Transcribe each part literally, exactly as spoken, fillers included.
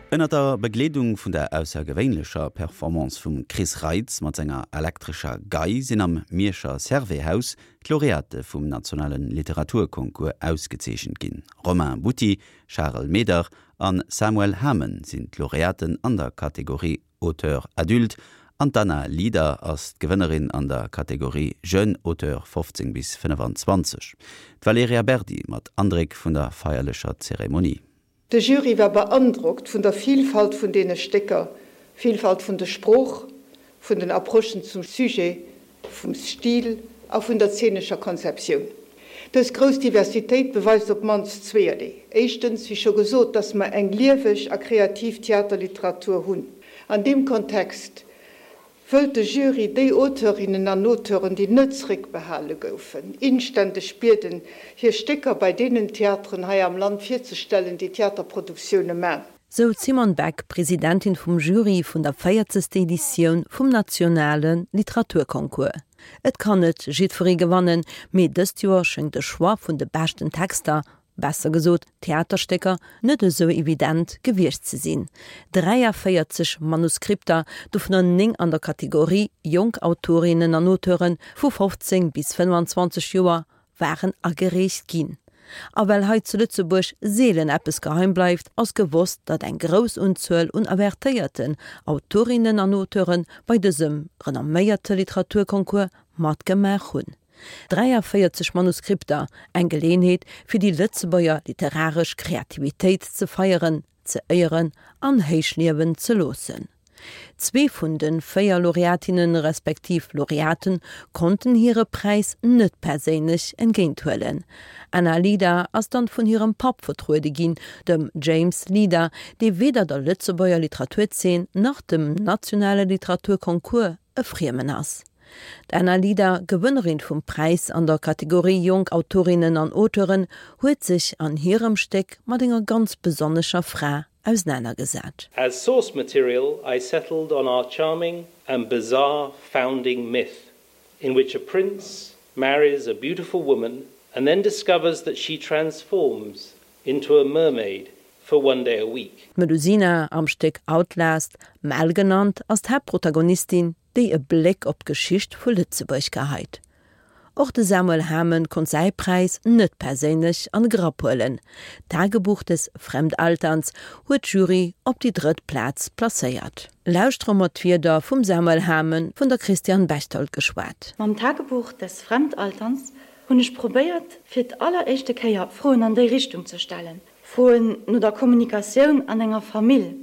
Ënner der Begleedung vun der aussergewéinlecher Performance vum Chris Reitz mat senger elektrescher Gei sinn am Mierscher Servais-Haus d'Laureate vum nationale Literaturconcours ausgezeechent ginn. Romain Butti, Charel Meder an Samuel Hamen sinn d'Laureaten an der Kategorie Auteur adulte an d'Anna Lieder ass d'Gewënnerin an der Kategorie Jeune Auteur fofzéng bis fënnefanzwanzeg. D'Valerija Berdi mat Andréck vun der feierlecher Zeremonie. De Jury war beandrockt vun der Vilfalt vun deene Stécker, Vilfalt vun der Sprooch, vun den Approchen zum Sujet, vum Stil a vun der zeenescher Konzeptioun. Dës grouss Diversitéit beweist op d'mannst zweeërlee. Éischtens, wéi scho gesot, dass mer eng lieweg a kreativ Theaterliteratur hunn. An deem Kontext wëllt de Jury déi Auteurinnen an Auteuren, déi net zréckbehale goufen, inständeg bieden, hir Stécker bei deenen Theateren hei am Land virzestellen, déi Theaterproduktioune man. Sou d'Simone Beck, Presidentin vum Jury vun der véierzegster Editioun vum nationale Literaturconcours. Et kann net jiddweree gewannen, mee dëst Joer schéngt de Choix vun de beschten Texter, besser gesot Theaterstécker, net esou evident gewiescht ze sinn. dräiavéierzeg Manuskripter, dovunner néng an der Kategorie jonk Autorinnen an Auteure vu fofzéng bis fënnefenzwanzeg Joer, waren agereecht ginn. A well hei zu Lëtzebuerg seelen eppes geheim bleift, ass gewosst, datt eng grouss Unzuel un avertéierten Autorinnen an Auteure bei dësem renomméierte Literaturconcours matgemaach hunn. dräiavéierzeg Manuskripter, eng Geleeënheet, fir déi Lëtzebuerger literaresch Kreativitéit ze feieren, ze éieren an héichliewen ze loossen. Zwee vun de véier Laureatinnen respektiv Laureaten konnten hire Präis net perséinlech entgéinthuelen. Anna Lieder ass dann vun hirem Papp vertruede ginn, dem James Lieder, dee weder der Lëtzebuerger Literaturzeen nach dem nationale Literaturconcours e Friemen ass. D'Anna Lieder, Gewënnerin vum Präis an der Kategorie Jonk Autorinnen an Auteuren, huet sech an hirem Stéck mat enger ganz besonnescher Fra ausenanergesat. As source material I settled on our charming and bizarre founding myth, in which a prince marries a beautiful woman and then discovers that she transforms into a mermaid for one day a week. D'Melusina, am Stéck Outlast Mel genannt, ass d'Haaptprotagonistin, déi e Bléck op d'Geschicht vu Lëtzebuerg geheit. Och de Samuel Hamen konnt säi Präis net perséinlech an de Grapp huelen. Tagebuch des Fremdalterns huet d'Jury op déi drëtt Plaz placéiert. Lauschtere mer d'Wierder vum Samuel Hamen, vun der Christiane Bechtold geschwat. Mam Tagebuch des Fremdalterns hunn ech probéiert, fir d'alleréischte Kéier Froen an déi Richtung ze stellen, Froen no der Kommunikatioun an enger Famill,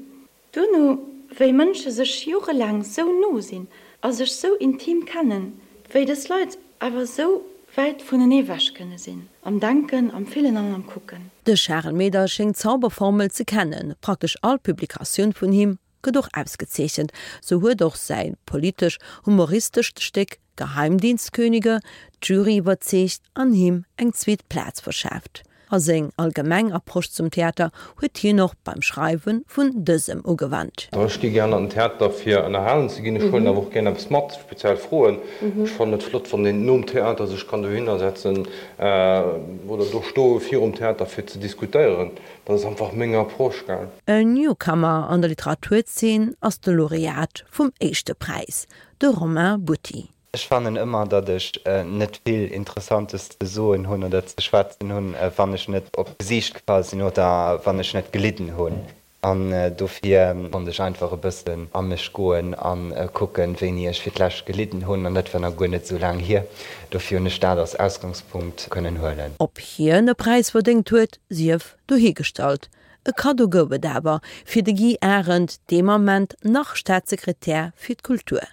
duerno wéi Mënsche sech jorelaang sou no sinn a sech sou intim kennen, wéi dës Leit awer sou wäit vunenee ewech kënne sinn, am Denken, am Fillen an am Kucken. De Charel Meder schéngt d'Zauberformel ze kennen, praktesch all Publikatioun vun him gëtt och ausgezeechent, sou huet och säi politesch-humoristescht Stéck Geheimdienstkönige d'Jury iwwerzeegt an him eng zweet Plaz verschaaft. A seng allgemeng Approche zum Theater huet hien och beim Schreiwe vun dësem ugewannt. Ech gi gären an den Theater fir ënnerhalen ze ginn. Ech huelen awer och gären eppes mat, speziell Froen. Ech fannen et flott wann een nom Theater sech kann dohinner setzen oder do stoe virum Theater fir ze diskutéieren. Dat ass einfach meng Approche, gell. En Newcomer an der Literaturzeen ass de Laureat vum éischte Präis, de Romain Butti. Ech fannen ëmmer, datt ech net vill Interessantes ze soen hunn oder ze schwätzen hunn, wann ech net op d'Gesiicht gefall sinn oder wann ech net gelidden hunn. An dofir konnt ech einfach e bëssen a mech goen a kucken, wéini ech fir d'lescht gelidden hunn. An dat war nach guer net esou laang hier. Dofir hunn ech dat als Ausgangspunkt kënnen huelen. Ob hien e Präis verdéngt huet, sief dohigestallt. E Kaddo gouf et awer fir de Guy Arendt, deem Ament nach Staatssekretär fir d'Kultur.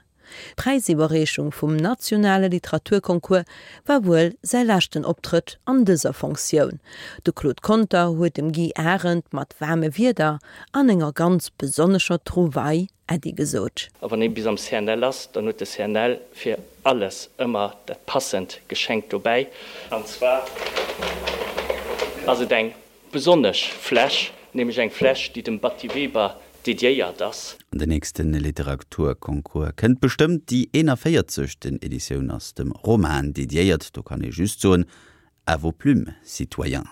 D'Präisiwwerreechung vum nationale Literaturconcours war wuel säi leschten Optrëtt an dëser Fonctioun. De Claude Conter huet dem Guy Arendt mat waarme Wierder an enger ganz besonnescher Trouvaille Äddi gesot. A wann ee bis am C N L ass, dann huet de C N L fir alles ëmmer dat passend Geschenk dobäi. An zwar ass et eng besonnesch Fläsch, nämlech eng Fläsch, déi dem Batty Weber dediéiert ass. An den nächste Literaturconcours kënnt bestëmmt, déi eenavéierzegsten. Editioun ass dem Roman dediéiert. Do kann ee just soen: À vos plumes, citoyens!